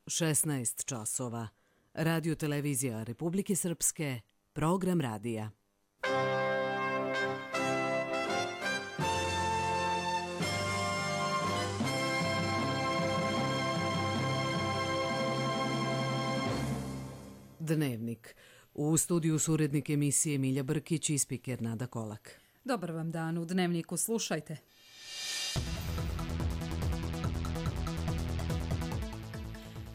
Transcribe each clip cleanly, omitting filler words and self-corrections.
16 časova. Radio televizija Republike Srpske, program radija. Dnevnik. U studiju su urednik emisije Milja Brkić i spiker Nada Kolak. Dobar vam dan, u Dnevniku slušajte.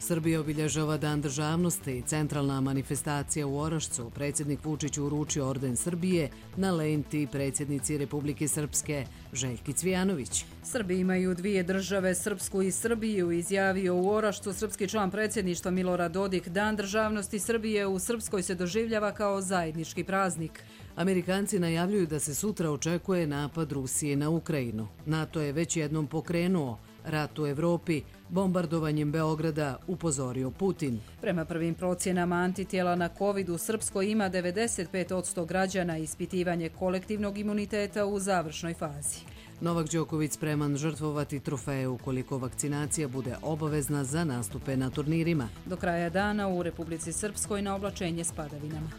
Srbija obilježava Dan državnosti. Centralna manifestacija u Orašcu. Predsjednik Vučić uručio orden Srbije na lenti predsjednici Republike Srpske Željki Cvijanović. Srbi imaju dvije države, Srpsku i Srbiju, izjavio u Orašcu srpski član predsjedništva Milorad Dodik. Dan državnosti Srbije u Srpskoj se doživljava kao zajednički praznik. Amerikanci najavljuju da se sutra očekuje napad Rusije na Ukrajinu. NATO je već jednom pokrenuo rat u Evropi, bombardovanjem Beograda, upozorio Putin. Prema prvim procjenama antitijela na COVID u Srpskoj ima 95% građana, ispitivanje kolektivnog imuniteta u završnoj fazi. Novak Đoković spreman žrtvovati trofeje ukoliko vakcinacija bude obavezna za nastupe na turnirima. Do kraja dana u Republici Srpskoj na oblačenje s padavinama.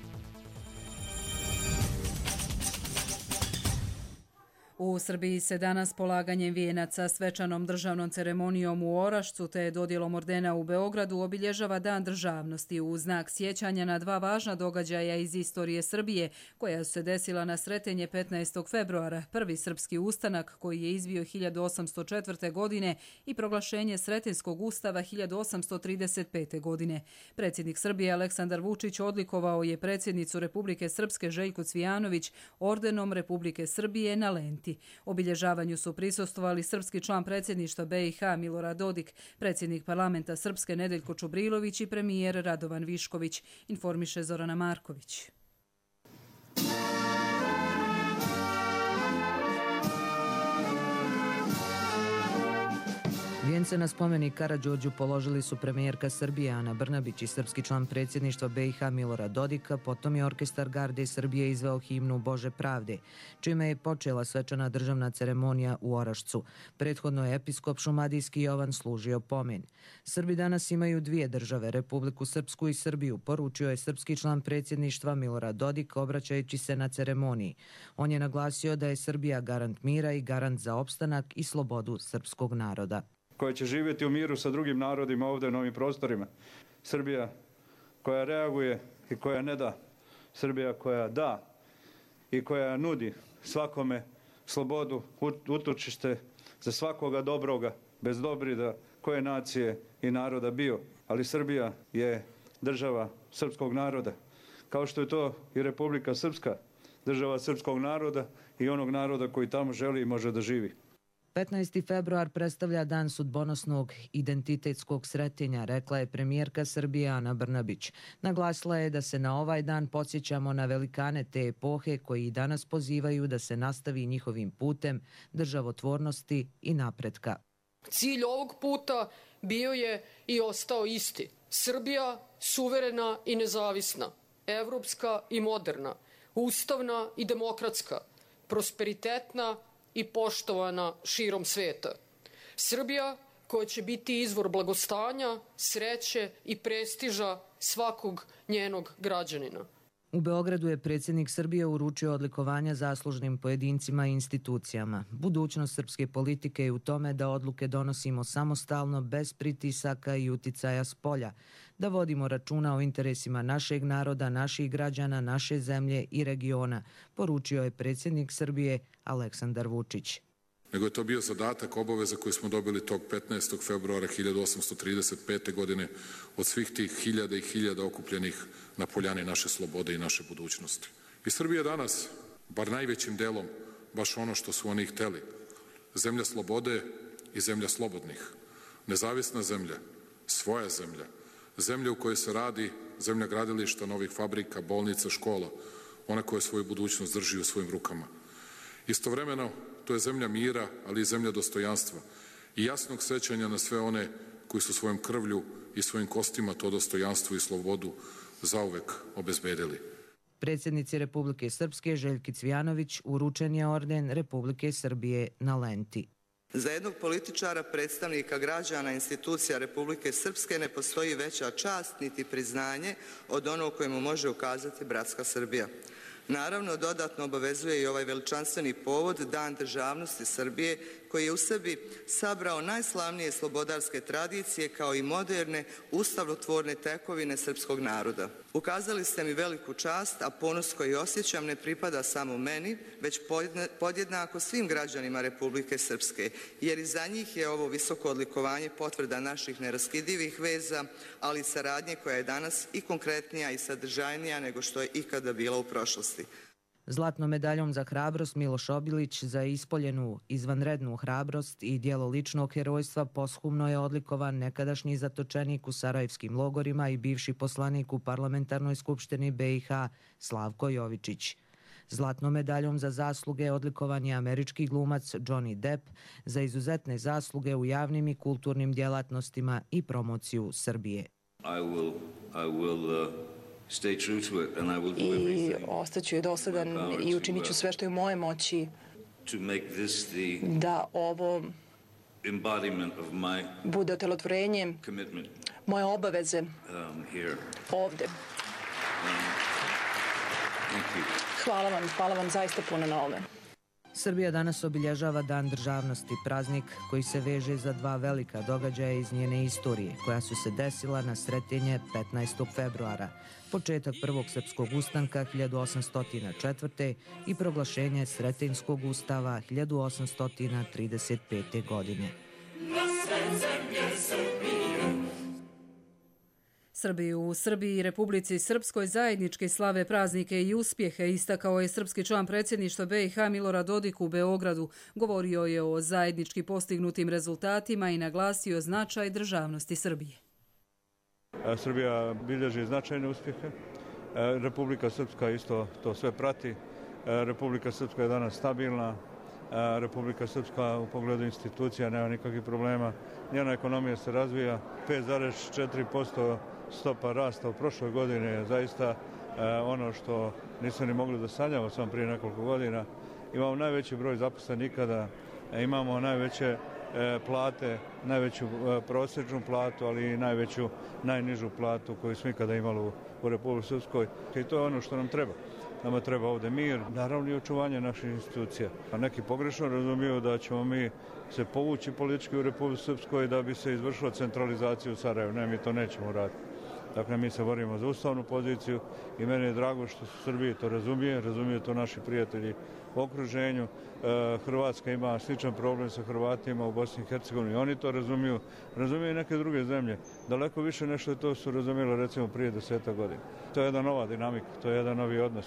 U Srbiji se danas polaganjem vijenaca, svečanom državnom ceremonijom u Orašcu te dodjelom ordena u Beogradu obilježava Dan državnosti u znak sjećanja na dva važna događaja iz istorije Srbije koja su se desila na Sretenje 15. februara, prvi srpski ustanak koji je izbio 1804. godine i proglašenje Sretenskog ustava 1835. godine. Predsjednik Srbije Aleksandar Vučić odlikovao je predsjednicu Republike Srpske Željku Cvijanović ordenom Republike Srbije na lenti. Obilježavanju su prisustvovali srpski član predsjedništva BiH Milorad Dodik, predsjednik parlamenta Srpske Nedeljko Čubrilović i premijer Radovan Višković, informiše Zorana Marković. Vijence na spomenik Karađorđu položili su premijerka Srbije Ana Brnabić i srpski član predsjedništva BiH Milorad Dodik, potom je orkestar Garde Srbije izveo himnu Bože pravde, čime je počela svečana državna ceremonija u Orašcu. Prethodno je episkop šumadijski Jovan služio pomen. Srbi danas imaju dvije države, Republiku Srpsku i Srbiju, poručio je srpski član predsjedništva Milorad Dodik obraćajući se na ceremoniji. On je naglasio da je Srbija garant mira i garant za opstanak i slobodu srpskog naroda, koja će živjeti u miru sa drugim narodima ovdje na ovim prostorima. Srbija koja reaguje i koja ne da. Srbija koja da i koja nudi svakome slobodu, utočište za svakoga dobroga, bez dobrida koje nacije i naroda bio. Ali Srbija je država srpskog naroda, kao što je to i Republika Srpska, država srpskog naroda i onog naroda koji tamo želi i može da živi. 15. februar predstavlja dan sudbonosnog identitetskog sretenja, rekla je premijerka Srbije Ana Brnabić. Naglasila je da se na ovaj dan podsjećamo na velikane te epohe koji i danas pozivaju da se nastavi njihovim putem državotvornosti i napretka. Cilj ovog puta bio je i ostao isti. Srbija suverena i nezavisna, evropska i moderna, ustavna i demokratska, prosperitetna i poštovana širom sveta. Srbija koja će biti izvor blagostanja, sreće i prestiža svakog njenog građanina. U Beogradu je predsjednik Srbije uručio odlikovanja zaslužnim pojedincima i institucijama. Budućnost srpske politike je u tome da odluke donosimo samostalno, bez pritisaka i uticaja spolja, da vodimo računa o interesima našeg naroda, naših građana, naše zemlje i regiona, poručio je predsjednik Srbije Aleksandar Vučić. Nego je to bio zadatak, obaveza koju smo dobili tog 15. februara 1835. godine od svih tih hiljada i hiljada okupljenih na poljani naše slobode i naše budućnosti. I Srbija danas, bar najvećim delom, baš ono što su oni hteli. Zemlja slobode i zemlja slobodnih. Nezavisna zemlja, svoja zemlja, zemlja u kojoj se radi, zemlja gradilišta, novih fabrika, bolnica, škola, ona koja svoju budućnost drži u svojim rukama. Istovremeno, to je zemlja mira, ali i zemlja dostojanstva i jasnog sećanja na sve one koji su svojom krvlju i svojim kostima to dostojanstvo i slobodu zauvek obezbedili. Predsjednici Republike Srpske Željki Cvijanović uručen je orden Republike Srbije na lenti. Za jednog političara, predstavnika građana, institucija Republike Srpske ne postoji veća čast niti priznanje od onog kojemu može ukazati bratska Srbija. Naravno, dodatno obavezuje i ovaj veličanstveni povod, Dan državnosti Srbije, koji je u sebi sabrao najslavnije slobodarske tradicije kao i moderne ustavotvorne tekovine srpskog naroda. Ukazali ste mi veliku čast, a ponos koji osjećam ne pripada samo meni, već podjednako svim građanima Republike Srpske, jer i za njih je ovo visoko odlikovanje potvrda naših neraskidivih veza, ali i saradnje koja je danas i konkretnija i sadržajnija nego što je ikada bila u prošlosti. Zlatnom medaljom za hrabrost Miloš Obilić za ispoljenu izvanrednu hrabrost i djelo ličnog herojstva posthumno je odlikovan nekadašnji zatočenik u sarajevskim logorima i bivši poslanik u Parlamentarnoj skupštini BiH Slavko Jovičić. Zlatnom medaljom za zasluge odlikovan je američki glumac Johnny Depp za izuzetne zasluge u javnim i kulturnim djelatnostima i promociju Srbije. I ostaću dosadan i učinit ću sve što je u moje moći da ovo bude otelotvorenje moje obaveze ovde. Hvala vam zaista puno na ovome. Srbija danas obilježava Dan državnosti, praznik koji se veže za dva velika događaja iz njene istorije, koja su se desila na Sretenje 15. februara, početak prvog srpskog ustanka 1804. i proglašenje Sretenjskog ustava 1835. godine. Srbi u Srbiji i Republici Srpskoj zajednički slave praznike i uspjehe, istakao je srpski član predsjedništva BiH Milorad Dodik u Beogradu. Govorio je o zajednički postignutim rezultatima i naglasio značaj državnosti Srbije. Srbija bilježi značajne uspjehe. Republika Srpska isto to sve prati. Republika Srpska je danas stabilna. Republika Srpska u pogledu institucija nema nikakvih problema. Njena ekonomija se razvija. 5,4% stopa rasta u prošloj godini je zaista ono što nisu ni mogli da sanjamo samo prije nekoliko godina. Imamo najveći broj zaposlenih ikada, imamo najveće plate, najveću prosječnu platu, ali i najnižu platu koju smo ikada imali u Republici Srpskoj. I to je ono što nam treba. Nama treba ovdje mir, naravno i očuvanje naših institucija. A neki pogrešno razumiju da ćemo mi se povući politički u Republici Srpskoj da bi se izvršila centralizacija u Sarajevu. Ne, mi to nećemo raditi. Dakle, mi se borimo za ustavnu poziciju i meni je drago što su Srbije to razumiju to naši prijatelji u okruženju. Hrvatska ima sličan problem sa Hrvatima u Bosni i Hercegovini. Oni to razumiju i neke druge zemlje. Daleko više nešto to su razumjeli recimo prije 10 godina. To je jedna nova dinamika, to je jedan novi odnos.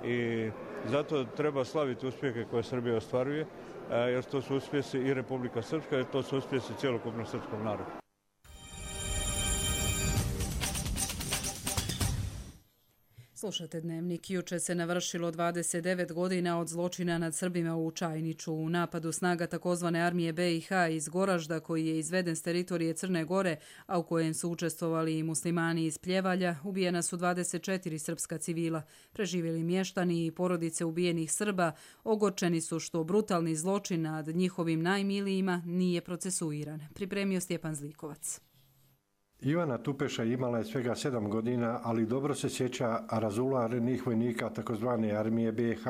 I zato treba slaviti uspjehe koje Srbija ostvaruje, jer to su uspjesi i Republika Srpska, jer to su uspjesi cjelokupnog srpskog naroda. Slušate Dnevnik. Juče se navršilo 29 godina od zločina nad Srbima u Čajniču. U napadu snaga takozvane armije BiH iz Goražda, koji je izveden s teritorije Crne Gore, a u kojem su učestvovali i muslimani iz Pljevalja, ubijena su 24 srpska civila. Preživjeli mještani i porodice ubijenih Srba ogorčeni su što brutalni zločin nad njihovim najmilijima nije procesuiran. Pripremio Stjepan Zlikovac. Ivana Tupeša imala je svega 7 godina, ali dobro se sjeća razularnih vojnika takozvane armije BiH.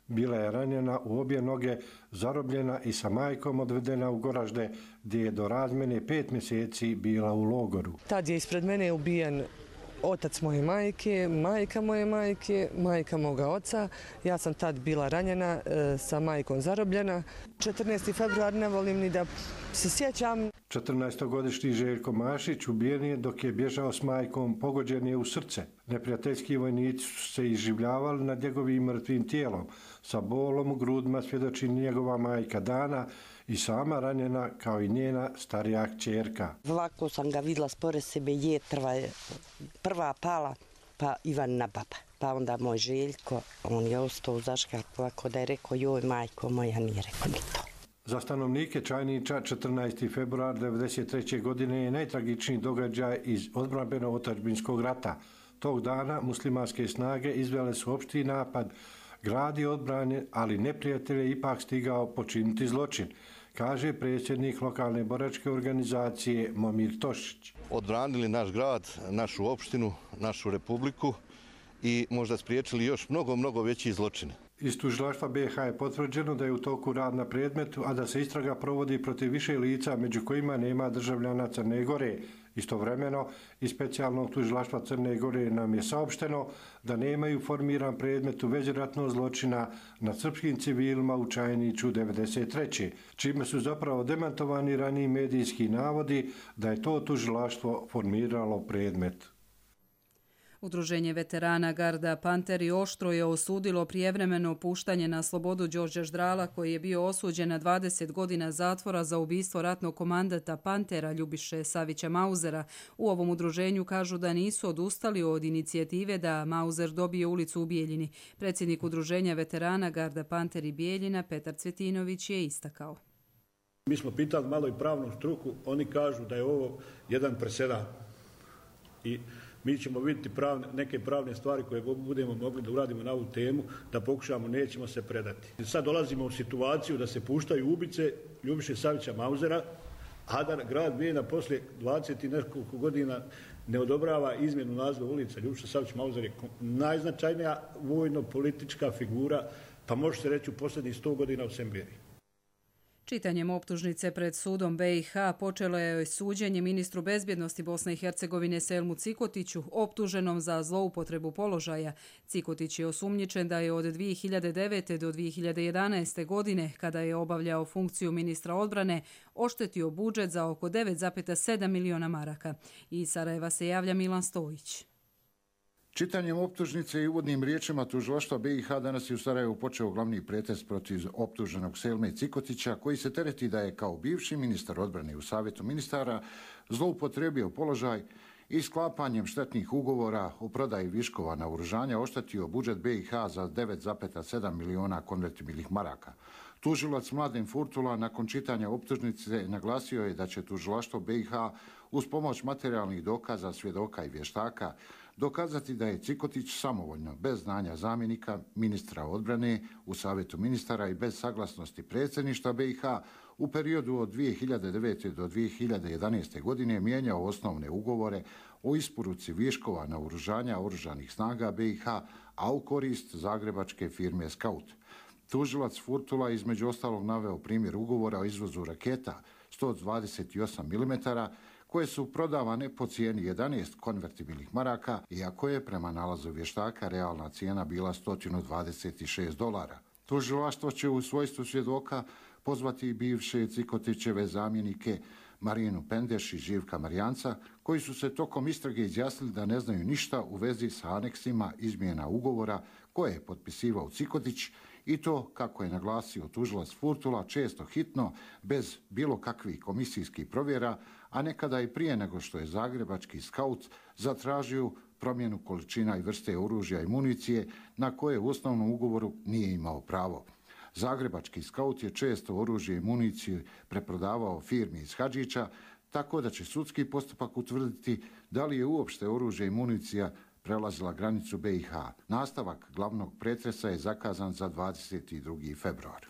Bila je ranjena u obje noge, zarobljena i sa majkom odvedena u Goražde, gdje je do razmjene 5 mjeseci bila u logoru. Tad je ispred mene ubijen otac moje majke, majka moje majke, majka moga oca. Ja sam tad bila ranjena, sa majkom zarobljena. 14. februar ne volim ni da se sjećam. 14-godišnji Željko Mašić ubijen je dok je bježao s majkom, pogođen je u srce. Neprijateljski vojnici su se iživljavali nad njegovim mrtvim tijelom. Sa bolom u grudima svjedoči njegova majka Dana i sama ranjena kao i njena starija kćerka. Ovako sam ga vidjela spore sebe, jetrva je prva pala, pa Ivanina baba. Pa onda moj Željko, on je ostao u zaškarku, ovako da je rekao, joj majko moja, nije rekao ni to. Za stanovnike Čajniča 14. februar 1993. godine je najtragičniji događaj iz odbrambeno-otadžbinskog rata. Tog dana muslimanske snage izvele su opšti napad, grad je odbranjen, ali neprijatelj je ipak stigao počiniti zločin. kaže predsjednik lokalne boračke organizacije Momir Tošić. Odbranili naš grad, našu opštinu, našu republiku i možda spriječili još mnogo veći zločine. Iz tužilaštva BiH je potvrđeno da je u toku rad na predmetu, a da se istraga provodi protiv više lica, među kojima nema državljana Crne Gore. Istovremeno, iz specijalnog tužilaštva Crne Gore nam je saopšteno da nemaju formiran predmet u vezi ratnog zločina nad srpskim civilima u Čajniću 1993. čime su zapravo demantovani raniji medijski navodi da je to tužilaštvo formiralo predmet. Udruženje veterana Garda Panteri oštro je osudilo prijevremeno puštanje na slobodu Đorđa Ždrala, koji je bio osuđen na 20 godina zatvora za ubistvo ratnog komandata Pantera Ljubiše Savića Mauzera. U ovom udruženju kažu da nisu odustali od inicijative da Mauzer dobije ulicu u Bijeljini. Predsjednik udruženja veterana Garda Panteri Bijeljina Petar Cvjetinović je istakao. Mi smo pitali malo i pravnu struku, oni kažu da je ovo jedan presedan i mi ćemo vidjeti neke pravne stvari koje budemo mogli da uradimo na ovu temu, da pokušamo, nećemo se predati. Sad dolazimo u situaciju da se puštaju ubice Ljubiše Savića Mauzera, a da grad Bijeljina poslije 20 i nekoliko godina ne odobrava izmjenu naziva ulica. Ljubiša Savić Mauzer je najznačajnija vojno-politička figura, pa može se reći u posljednjih 100 godina u Semberiji. Čitanjem optužnice pred sudom BiH počelo je suđenje ministru bezbjednosti Bosne i Hercegovine Selmu Cikotiću, optuženom za zloupotrebu položaja. Cikotić je osumnjičen da je od 2009. do 2011. godine, kada je obavljao funkciju ministra odbrane, oštetio budžet za oko 9,7 miliona maraka. Iz Sarajeva se javlja Milan Stojić. Čitanjem optužnice i uvodnim riječima tužilaštva BiH danas je u Sarajevu počeo glavni pretres protiv optuženog Selme Cikotića, koji se tereti da je kao bivši ministar odbrane u Savjetu ministara zloupotrebio položaj i sklapanjem štetnih ugovora o prodaji viškova naoružanja oštetio budžet BiH za 9,7 miliona konvertibilnih maraka. Tužilac Mladen Furtula nakon čitanja optužnice naglasio je da će tužilaštvo BiH uz pomoć materijalnih dokaza, svjedoka i vještaka dokazati da je Cikotić samovoljno, bez znanja zamjenika ministra odbrane u Savjetu ministara i bez saglasnosti predsjedništva BiH u periodu od 2009. do 2011. godine mijenjao osnovne ugovore o isporuci viškova naoružanja oružanih snaga BiH, a u korist zagrebačke firme Skaut. Tužilac Furtula između ostalog naveo primjer ugovora o izvozu raketa 128 mm koje su prodavane po cijeni 11 konvertibilnih maraka, iako je prema nalazu vještaka realna cijena bila $126. Tužilaštvo će u svojstvu svjedoka pozvati i bivše Cikotićeve zamjenike Marinu Pendeš i Živka Marijanca, koji su se tokom istrage izjasnili da ne znaju ništa u vezi sa aneksima izmjena ugovora koje je potpisivao Cikotić, i to, kako je naglasio tužilac Furtula, često hitno, bez bilo kakvih komisijskih provjera, a nekada i prije nego što je zagrebački Skaut zatražio promjenu količina i vrste oružja i municije na koje u osnovnom ugovoru nije imao pravo. Zagrebački Skaut je često oružje i municiju preprodavao firmi iz Hadžića, tako da će sudski postupak utvrditi da li je uopšte oružje i municija prelazila granicu BiH. Nastavak glavnog pretresa je zakazan za 22. februar.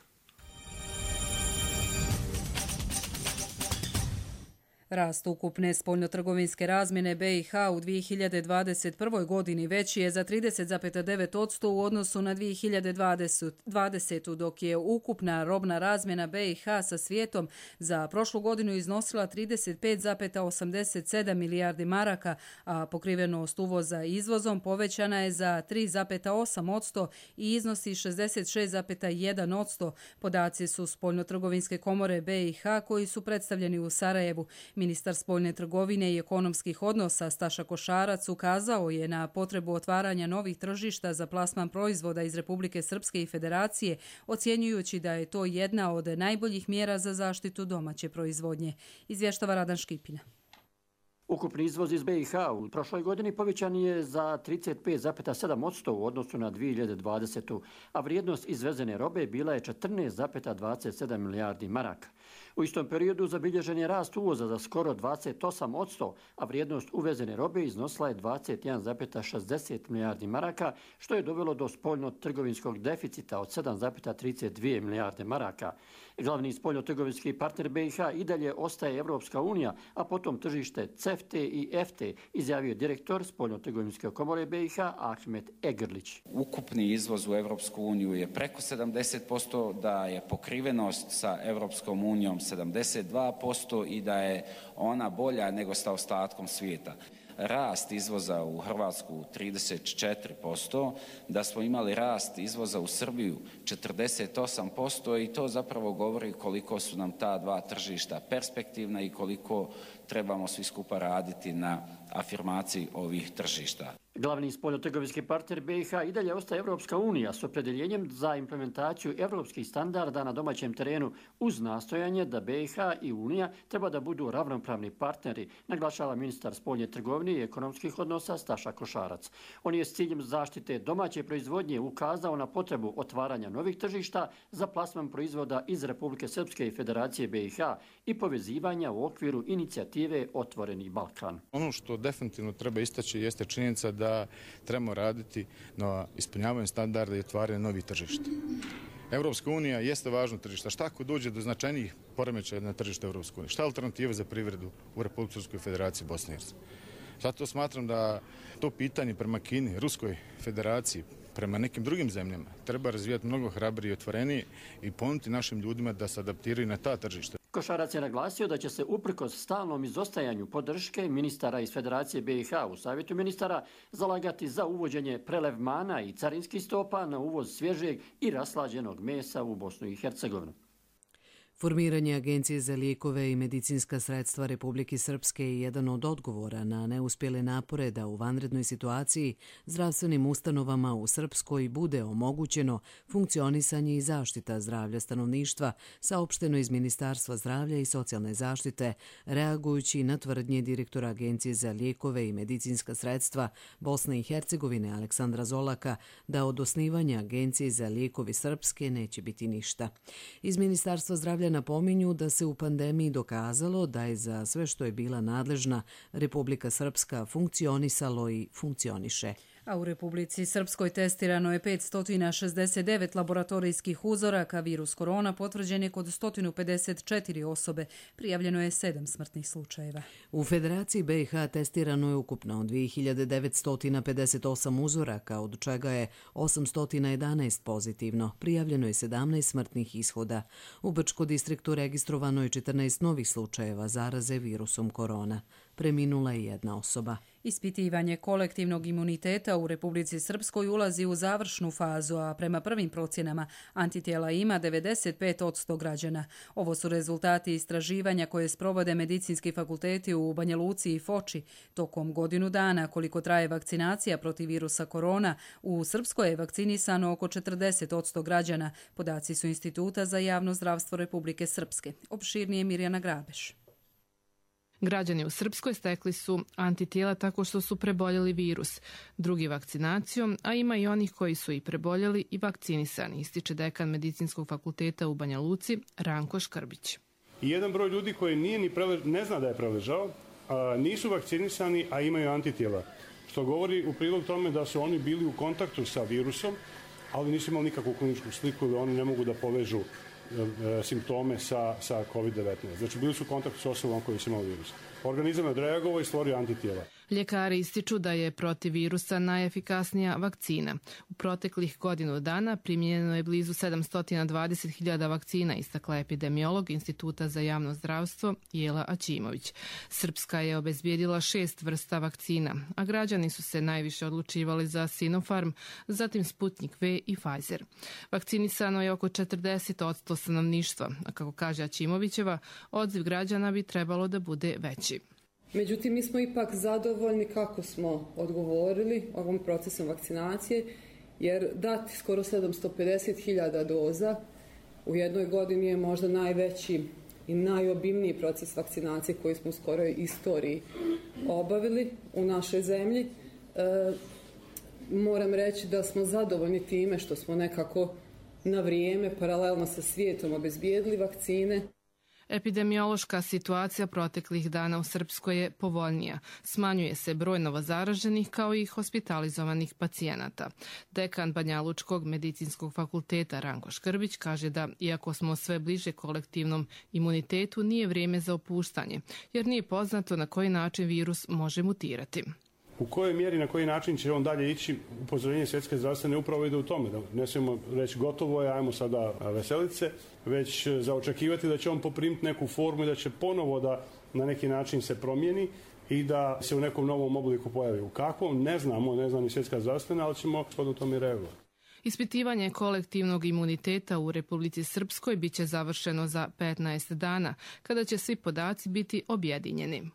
Rast ukupne spoljnotrgovinske razmjene BiH u 2021. godini veći je za 30,9% u odnosu na 2020. dok je ukupna robna razmjena BiH sa svijetom za prošlu godinu iznosila 35,87 milijardi maraka, a pokrivenost uvoza izvozom povećana je za 3,8% i iznosi 66,1%. Podaci su Spoljnotrgovinske komore BiH koji su predstavljeni u Sarajevu. Ministar spoljne trgovine i ekonomskih odnosa Staša Košarac ukazao je na potrebu otvaranja novih tržišta za plasman proizvoda iz Republike Srpske i Federacije, ocjenjujući da je to jedna od najboljih mjera za zaštitu domaće proizvodnje. Izvještava Radan Škipina. Ukupni izvoz iz BiH u prošloj godini povećan je za 35,7% u odnosu na 2020. a vrijednost izvezene robe bila je 14,27 milijardi maraka. U istom periodu zabilježen je rast uvoza za skoro 28%, a vrijednost uvezene robe iznosila je 21,60 milijardi maraka, što je dovelo do spoljno-trgovinskog deficita od 7,32 milijarde maraka. Glavni spoljno-trgovinski partner BiH i dalje ostaje Evropska unija, a potom tržište CEFTA i EFTA, izjavio direktor spoljno-trgovinske komore BiH Ahmet Egrlić. Ukupni izvoz u Evropsku uniju je preko 70%, da je pokrivenost sa Evropskom unijom 72% i da je ona bolja nego sa ostatkom svijeta. Rast izvoza u Hrvatsku 34%, da smo imali rast izvoza u Srbiju 48% i to zapravo govori koliko su nam ta dva tržišta perspektivna i koliko trebamo svi skupa raditi na afirmaciji ovih tržišta. Glavni spoljno-trgovinski partner BiH i dalje ostaje Evropska unija s opredjeljenjem za implementaciju evropskih standarda na domaćem terenu uz nastojanje da BiH i Unija treba da budu ravnopravni partneri, naglašava ministar spoljne trgovine i ekonomskih odnosa Staša Košarac. On je s ciljem zaštite domaće proizvodnje ukazao na potrebu otvaranja novih tržišta za plasman proizvoda iz Republike Srpske i Federacije BiH i povezivanja u okviru inicijative Otvoreni Balkan. Ono što definitivno treba istaći jeste činjenica da trebamo raditi na ispunjavanju standarda i otvaranju novih tržišta. Evropska unija jeste važno tržište. Šta ako dođe do značajnijih poremećaja na tržište Evropske unije? Šta je alternativa za privredu u Republike Srpskoj Federaciji Bosne i Hercegovine? Zato smatram da to pitanje prema Kini, Ruskoj Federaciji, prema nekim drugim zemljama treba razvijati mnogo hrabrije i otvorenije i ponuditi našim ljudima da se adaptiraju na ta tržišta. Košarac je naglasio da će se uprkos stalnom izostajanju podrške ministara iz Federacije BiH u Savjetu ministara zalagati za uvođenje prelevmana i carinskih stopa na uvoz svježeg i raslađenog mesa u Bosnu i Hercegovinu. Formiranje Agencije za lijekove i medicinska sredstva Republike Srpske je jedan od odgovora na neuspjele napore da u vanrednoj situaciji zdravstvenim ustanovama u Srpskoj bude omogućeno funkcionisanje i zaštita zdravlja stanovništva, saopšteno iz Ministarstva zdravlja i socijalne zaštite, reagujući na tvrdnje direktora Agencije za lijekove i medicinska sredstva Bosne i Hercegovine Aleksandra Zolaka da od osnivanja Agencije za lijekovi Srpske neće biti ništa. Iz Ministarstva zdravlja napominju da se u pandemiji dokazalo da je za sve što je bila nadležna Republika Srpska funkcionisalo i funkcioniše. A u Republici Srpskoj testirano je 569 laboratorijskih uzoraka. Virus korona potvrđen je kod 154 osobe. Prijavljeno je 7 smrtnih slučajeva. U Federaciji BiH testirano je ukupno 2958 uzoraka, od čega je 811 pozitivno. Prijavljeno je 17 smrtnih ishoda. U Brčko distriktu registrovano je 14 novih slučajeva zaraze virusom korona. Preminula je jedna osoba. Ispitivanje kolektivnog imuniteta u Republici Srpskoj ulazi u završnu fazu, a prema prvim procjenama antitijela ima 95% građana. Ovo su rezultati istraživanja koje sprovode medicinski fakulteti u Banja Luci i Foči. Tokom godinu dana, koliko traje vakcinacija protiv virusa korona, u Srpskoj je vakcinisano oko 40% građana. Podaci su Instituta za javno zdravstvo Republike Srpske. Opširnije Mirjana Grabeš. Građani u Srpskoj stekli su antitijela tako što su preboljeli virus, drugi vakcinacijom, a ima i onih koji su i preboljeli i vakcinisani, ističe dekan Medicinskog fakulteta u Banja Luci Ranko Škrbić. I jedan broj ljudi koji ne zna da je preležao, nisu vakcinisani, a imaju antitijela, što govori u prilog tome da su oni bili u kontaktu sa virusom, ali nisu imali nikakvu kliničku sliku ili oni ne mogu da povežu simptome sa COVID-19. Znači, bili su u kontaktu s osobom koji su imali virus. Organizam je odreagovao i stvorio antitijela. Ljekari ističu da je protiv virusa najefikasnija vakcina. U proteklih godinu dana primjenjeno je blizu 720.000 vakcina, istakla epidemiolog Instituta za javno zdravstvo Jela Aćimović. Srpska je obezbijedila 6 vrsta vakcina, a građani su se najviše odlučivali za Sinopharm, zatim Sputnik V i Pfizer. Vakcinisano je oko 40% stanovništva, a kako kaže Aćimovićeva, odziv građana bi trebalo da bude veći. Međutim, mi smo ipak zadovoljni kako smo odgovorili ovom procesom vakcinacije, jer dati skoro 750.000 doza u jednoj godini je možda najveći i najobimniji proces vakcinacije koji smo u skoroj istoriji obavili u našoj zemlji. Moram reći da smo zadovoljni time što smo nekako na vrijeme, paralelno sa svijetom, obezbijedili vakcine. Epidemiološka situacija proteklih dana u Srpskoj je povoljnija. Smanjuje se broj novozaraženih kao i hospitalizovanih pacijenata. Dekan Banjalučkog medicinskog fakulteta Ranko Škrbić kaže da, iako smo sve bliže kolektivnom imunitetu, nije vrijeme za opuštanje, jer nije poznato na koji način virus može mutirati. U kojoj mjeri, na koji način će on dalje ići, upozorenje Svjetske zdravstvene upravo ide u tome, da ne smijemo reći gotovo je, ajmo sada veseliti se, već za očekivati da će on poprimiti neku formu i da će ponovo da na neki način se promijeni i da se u nekom novom obliku pojavi. U kakvom, ne znamo, ne zna ni Svjetska zdravstvena, ali ćemo shodno tome reagovati. Ispitivanje kolektivnog imuniteta u Republici Srpskoj biće završeno za 15 dana, kada će svi podaci biti objedinjeni.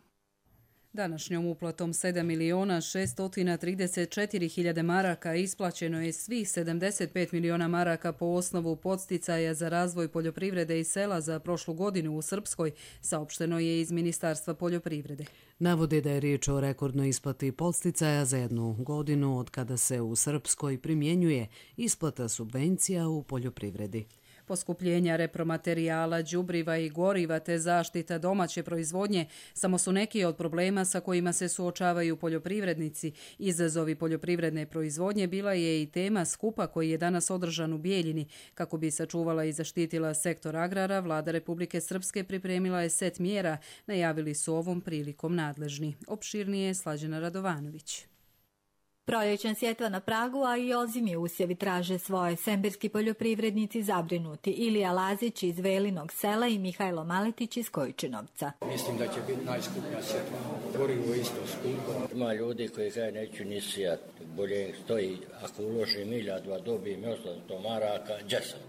Današnjom uplatom 7.634.000 maraka isplaćeno je svih 75 miliona maraka po osnovu podsticaja za razvoj poljoprivrede i sela za prošlu godinu u Srpskoj, saopšteno je iz Ministarstva poljoprivrede. Navode da je riječ o rekordnoj isplati podsticaja za jednu godinu od kada se u Srpskoj primjenjuje isplata subvencija u poljoprivredi. Poskupljenja repromaterijala, đubriva i goriva te zaštita domaće proizvodnje samo su neki od problema sa kojima se suočavaju poljoprivrednici. Izazovi poljoprivredne proizvodnje bila je i tema skupa koji je danas održan u Bijeljini. Kako bi sačuvala i zaštitila sektor agrara, Vlada Republike Srpske pripremila je set mjera, najavili su ovom prilikom nadležni. Opširnije Slađana Radovanović. Proljećna sjetva na pragu, a i ozimji usjevi traže svoje. Semberski poljoprivrednici zabrinuti. Ilija Lazić iz Velinog sela i Mihajlo Maletić iz Kojčinovca. Mislim da će biti najskuplja sjetva. Gorivo isto skupo. Ima ljudi koji kaže neću ni sijat. Bolje stoji ako uložim 1000, dobijem 800 maraka, džesam.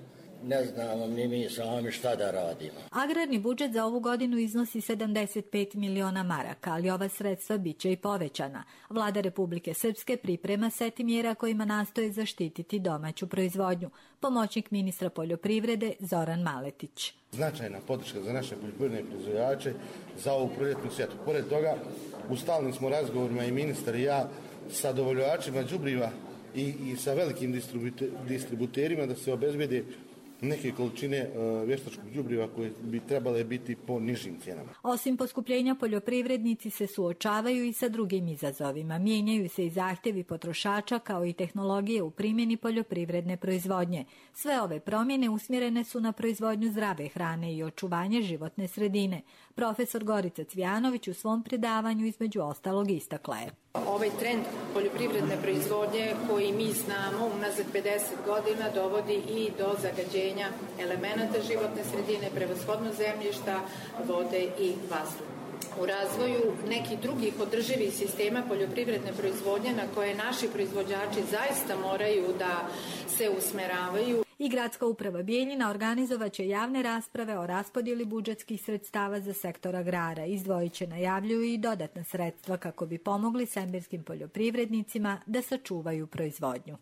Ne znamo ni mi sami šta da radimo. Agrarni budžet za ovu godinu iznosi 75 miliona maraka, ali ova sredstva bit će i povećana. Vlada Republike Srpske priprema set mjera kojima nastoje zaštititi domaću proizvodnju. Pomoćnik ministra poljoprivrede Zoran Maletić. Značajna podrška za naše poljoprivredne proizvođače za ovu proljetnu sjetvu. Pored toga, u stalnim smo razgovorima i ministar i ja sa dobavljačima đubriva i sa velikim distributerima da se obezbede neke količine vještačkog đubriva koje bi trebale biti po nižim cijenama. Osim poskupljenja, poljoprivrednici se suočavaju i sa drugim izazovima. Mijenjaju se i zahtjevi potrošača kao i tehnologije u primjeni poljoprivredne proizvodnje. Sve ove promjene usmjerene su na proizvodnju zdrave hrane i očuvanje životne sredine. Profesor Gorica Cvijanović u svom predavanju između ostalog istakla je. Ovaj trend poljoprivredne proizvodnje koji mi znamo unazad 50 godina dovodi i do zagađenja elemenata životne sredine, prevashodno zemljišta, vode i vazduha. U razvoju nekih drugih održivih sistema poljoprivredne proizvodnje na koje naši proizvođači zaista moraju da se usmeravaju. I Gradska uprava Bijeljina organizovaće javne rasprave o raspodjeli budžetskih sredstava za sektor agrara. Izdvojit će, najavljuju, i dodatna sredstva kako bi pomogli semberskim poljoprivrednicima da sačuvaju proizvodnju.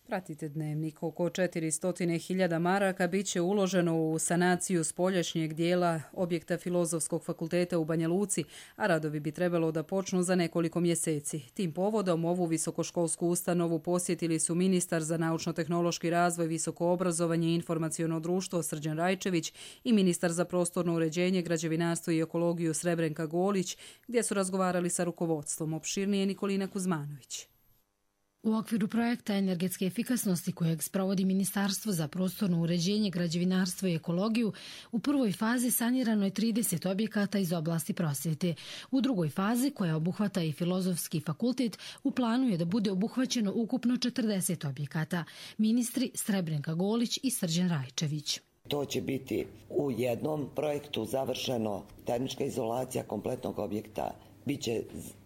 Pratite Dnevnik. Oko 400.000 maraka bit će uloženo u sanaciju spoljašnjeg dijela objekta Filozofskog fakulteta u Banja Luci, a radovi bi trebalo da počnu za nekoliko mjeseci. Tim povodom ovu visokoškolsku ustanovu posjetili su ministar za naučno-tehnološki razvoj, visoko obrazovanje i informaciono društvo Srđan Rajčević i ministar za prostorno uređenje, građevinarstvo i ekologiju Srebrenka Golić, gdje su razgovarali sa rukovodstvom. Opširnije Nikolina Kuzmanović. U okviru projekta energetske efikasnosti kojeg sprovodi Ministarstvo za prostorno uređenje, građevinarstvo i ekologiju, u prvoj fazi sanirano je 30 objekata iz oblasti prosvjete. U drugoj fazi, koja obuhvata i Filozofski fakultet, u planu je da bude obuhvaćeno ukupno 40 objekata. Ministri Srebrenka Golić i Srđan Rajčević. To će biti u jednom projektu završeno termička izolacija kompletnog objekta. Biće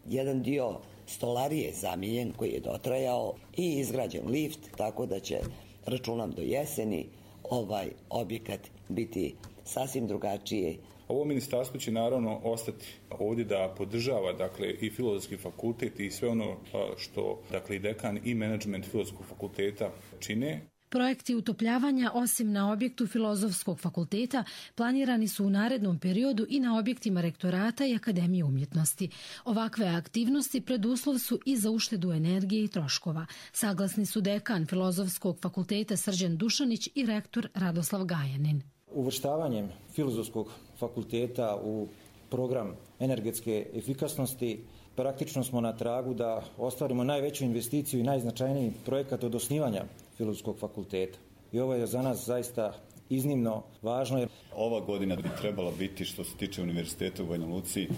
jedan dio stolarije zamijenjen koji je dotrajao i izgrađen lift, tako da će, računam do jeseni, ovaj objekat biti sasvim drugačije. Ovo ministarstvo će naravno ostati ovdje da podržava, dakle, i Filozofski fakultet i sve ono što, dakle, i dekan i menadžment Filozofskog fakulteta čine. Projekti utopljavanja, osim na objektu Filozofskog fakulteta, planirani su u narednom periodu i na objektima rektorata i Akademije umjetnosti. Ovakve aktivnosti preduslov su i za uštedu energije i troškova. Saglasni su dekan Filozofskog fakulteta Srđan Dušanić i rektor Radoslav Gajanin. Uvrštavanjem Filozofskog fakulteta u program energetske efikasnosti praktično smo na tragu da ostvarimo najveću investiciju i najznačajniji projekat od osnivanja Filozofskog fakulteta. I ovo je za nas zaista iznimno važno. Ova godina bi trebala biti, što se tiče univerziteta u Banja Luci,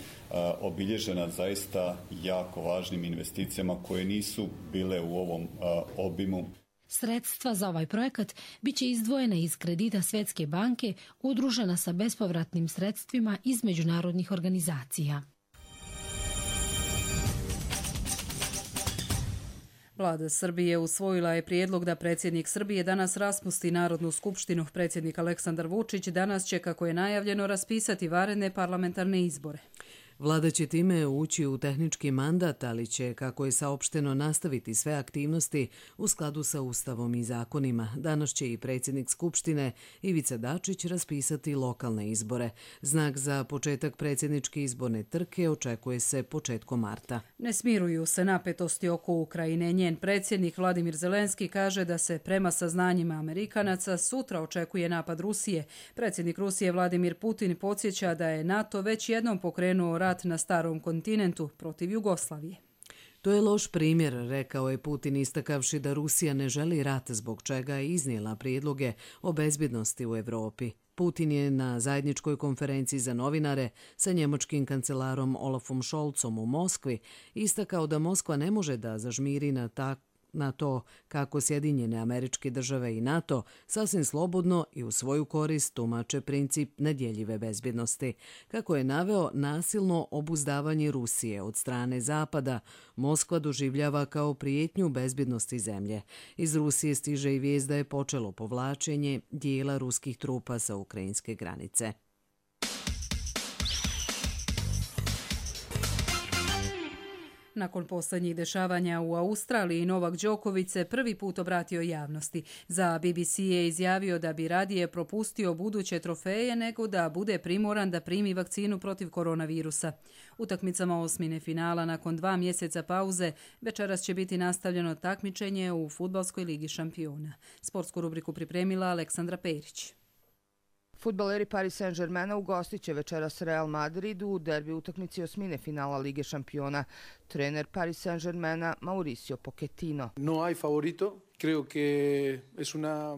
obilježena zaista jako važnim investicijama koje nisu bile u ovom obimu. Sredstva za ovaj projekat biće izdvojena iz kredita Svjetske banke, udružena sa bespovratnim sredstvima iz međunarodnih organizacija. Vlada Srbije usvojila je prijedlog da predsjednik Srbije danas raspusti Narodnu skupštinu. Predsjednik Aleksandar Vučić danas će, kako je najavljeno, raspisati vanredne parlamentarne izbore. Vlada će time ući u tehnički mandat, ali će, kako je saopšteno, nastaviti sve aktivnosti u skladu sa Ustavom i zakonima. Danas će i predsjednik Skupštine Ivica Dačić raspisati lokalne izbore. Znak za početak predsjedničke izborne trke očekuje se početkom marta. Ne smiruju se napetosti oko Ukrajine. Njen predsjednik Vladimir Zelenski kaže da se prema saznanjima Amerikanaca sutra očekuje napad Rusije. Predsjednik Rusije Vladimir Putin podsjeća da je NATO već jednom pokrenuo rat na starom kontinentu protiv Jugoslavije. To je loš primjer, rekao je Putin, istakavši da Rusija ne želi rat, zbog čega je iznijela prijedloge o bezbjednosti u Evropi. Putin je na zajedničkoj konferenciji za novinare sa njemačkim kancelarom Olafom Scholzom u Moskvi istakao da Moskva ne može da zažmiri na to kako Sjedinjene Američke Države i NATO sasvim slobodno i u svoju korist tumače princip nedjeljive bezbjednosti. Kako je naveo, nasilno obuzdavanje Rusije od strane Zapada Moskva doživljava kao prijetnju bezbjednosti zemlje. Iz Rusije stiže i vijest da je počelo povlačenje dijela ruskih trupa sa ukrajinske granice. Nakon posljednjih dešavanja u Australiji, Novak Đoković se prvi put obratio javnosti. Za BBC je izjavio da bi radije propustio buduće trofeje nego da bude primoran da primi vakcinu protiv koronavirusa. Utakmicama osmine finala nakon 2 mjeseca pauze večeras će biti nastavljeno takmičenje u Fudbalskoj ligi šampiona. Sportsku rubriku pripremila Aleksandra Perić. Fudbaleri Paris Saint-Germaina ugostit će večeras Real Madrid u derbi utakmici osmine finala Lige šampiona. Trener Paris Saint-Germaina Mauricio Pochettino. No hay favorito.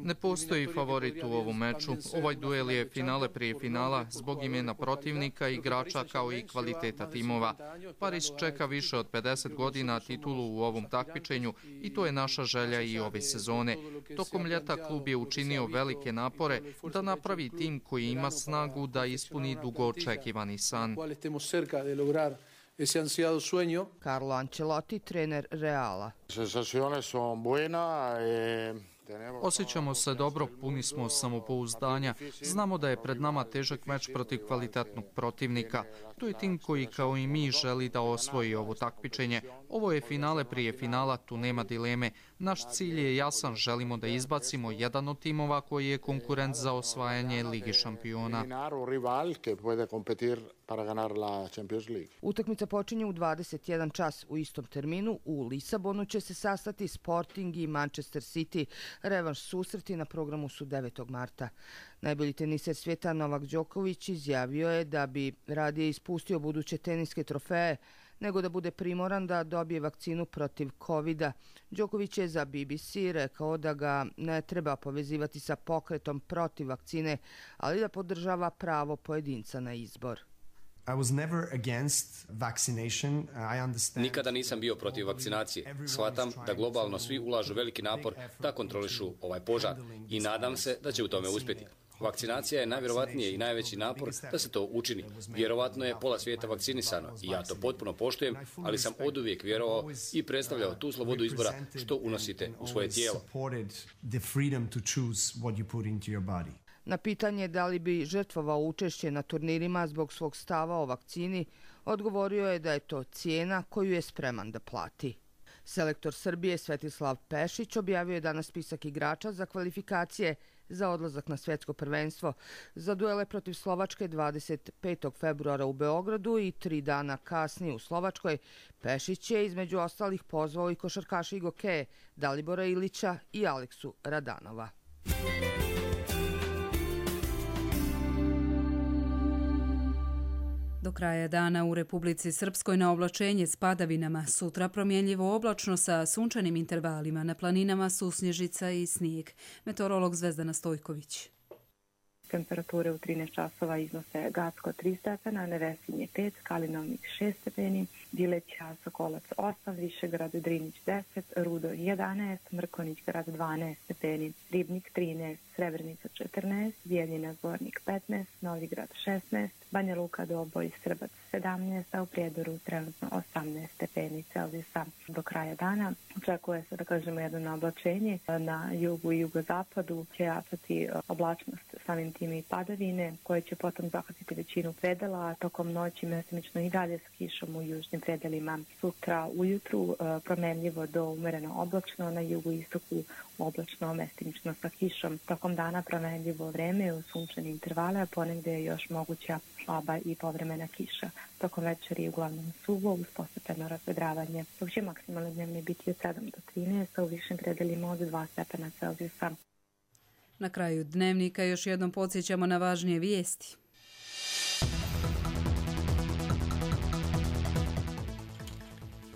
Ne postoji favorit u ovom meču. Ovaj duel je finale prije finala zbog imena protivnika, igrača kao i kvaliteta timova. Paris čeka više od 50 godina titulu u ovom takmičenju i to je naša želja i ove sezone. Tokom ljeta klub je učinio velike napore da napravi tim koji ima snagu da ispuni dugo očekivani san. Carlo Ancelotti, trener Reala. Osjećamo se dobro, puni smo samopouzdanja. Znamo da je pred nama težak meč protiv kvalitetnog protivnika. To je tim koji kao i mi želi da osvoji ovo takmičenje. Ovo je finale prije finala, tu nema dileme. Naš cilj je jasan, želimo da izbacimo jedan od timova koji je konkurent za osvajanje Lige šampiona. Utakmica počinje u 21 čas. U istom terminu u Lisabonu će se sastati Sporting i Manchester City. Revanš susreti na programu su 9. marta. Najbolji teniser svijeta Novak Đoković izjavio je da bi radije ispustio buduće teniske trofeje nego da bude primoran da dobije vakcinu protiv COVID-a. Đoković je za BBC rekao da ga ne treba povezivati sa pokretom protiv vakcine, ali da podržava pravo pojedinca na izbor. Nikada nisam bio protiv vakcinacije. Shvatam da globalno svi ulažu veliki napor da kontrolišu ovaj požar i nadam se da će u tome uspjeti. Vakcinacija je najvjerovatnije i najveći napor da se to učini. Vjerovatno je pola svijeta vakcinisano i ja to potpuno poštujem, ali sam oduvijek vjerovao i predstavljao tu slobodu izbora što unosite u svoje tijelo. Na pitanje da li bi žrtvovao učešće na turnirima zbog svog stava o vakcini, odgovorio je da je to cijena koju je spreman da plati. Selektor Srbije Svetislav Pešić objavio je danas spisak igrača za kvalifikacije za odlazak na svjetsko prvenstvo. Za duele protiv Slovačke 25. februara u Beogradu i 3 dana kasnije u Slovačkoj, Pešić je između ostalih pozvao i košarkaša i gokeje Dalibora Ilića i Aleksu Radanova. Do kraja dana u Republici Srpskoj na oblačenje s padavinama, sutra promjenljivo oblačno sa sunčanim intervalima, na planinama susnježica i snijeg. Meteorolog Zvezdana Stojković. Temperature u 13 časova iznose Gacko 3 stepena, Nevesinje 5, Kalinovnik 6 stepeni, Dileća, Sokolac 8, Višegrad, Drinić 10, Rudo 11, Mrkonić grad 12 stepeni, Ribnik 13, Srebrenica 14, Bijeljina Zvornik 15, Novigrad 16, Banja Luka, Doboj, Srbac 17, a u Prijedoru trenutno 18 stepeni Celzijusa. Do kraja dana očekuje se jedno oblačenje. Na jugu i jugozapadu će jačati oblačnost, samim tim i padavine, koje će potom zahvatiti većinu predela, a tokom noći mestimično i dalje s kišom u južnim predelima. Sutra ujutru promenljivo do umereno oblačno, na jugu i istoku oblačno, mestimično sa kišom. Tokom dana promenljivo vreme u sunčane intervale, a ponegde je još moguća slaba i povremena kiša. Tokom večeri uglavnom suvo uz postepeno razvedravanje, dok će maksimalne dnevne biti od 7 do 13, a u višim predelima od 2 stepena Celzijusa. Na kraju dnevnika još jednom podsjećamo na važnije vijesti.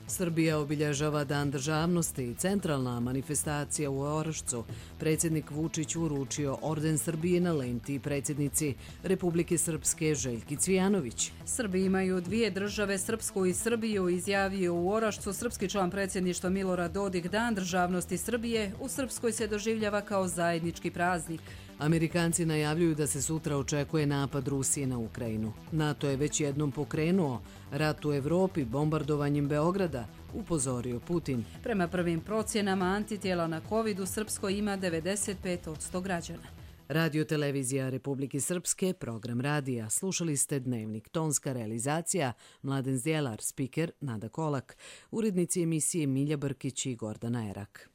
Srbija obilježava Dan državnosti i centralna manifestacija u Orašcu. Predsjednik Vučić uručio orden Srbije na lenti predsjednici Republike Srpske Željki Cvijanović. Srbi imaju dvije države, Srpsku i Srbiju, izjavio u Orašcu srpski član predsjedništva Milorad Dodik. Dan državnosti Srbije u Srpskoj se doživljava kao zajednički praznik. Amerikanci najavljuju da se sutra očekuje napad Rusije na Ukrajinu. NATO je već jednom pokrenuo rat u Evropi bombardovanjem Beograda, upozorio Putin. Prema prvim procjenama antitijela na COVID u Srpskoj ima 95% građana. Radio televizija Republike Srpske, program radija. Slušali ste Dnevnik, tonska realizacija, Mladen Zdjelar, spiker Nada Kolak, urednici emisije Milja Brkić i Gordana Erak.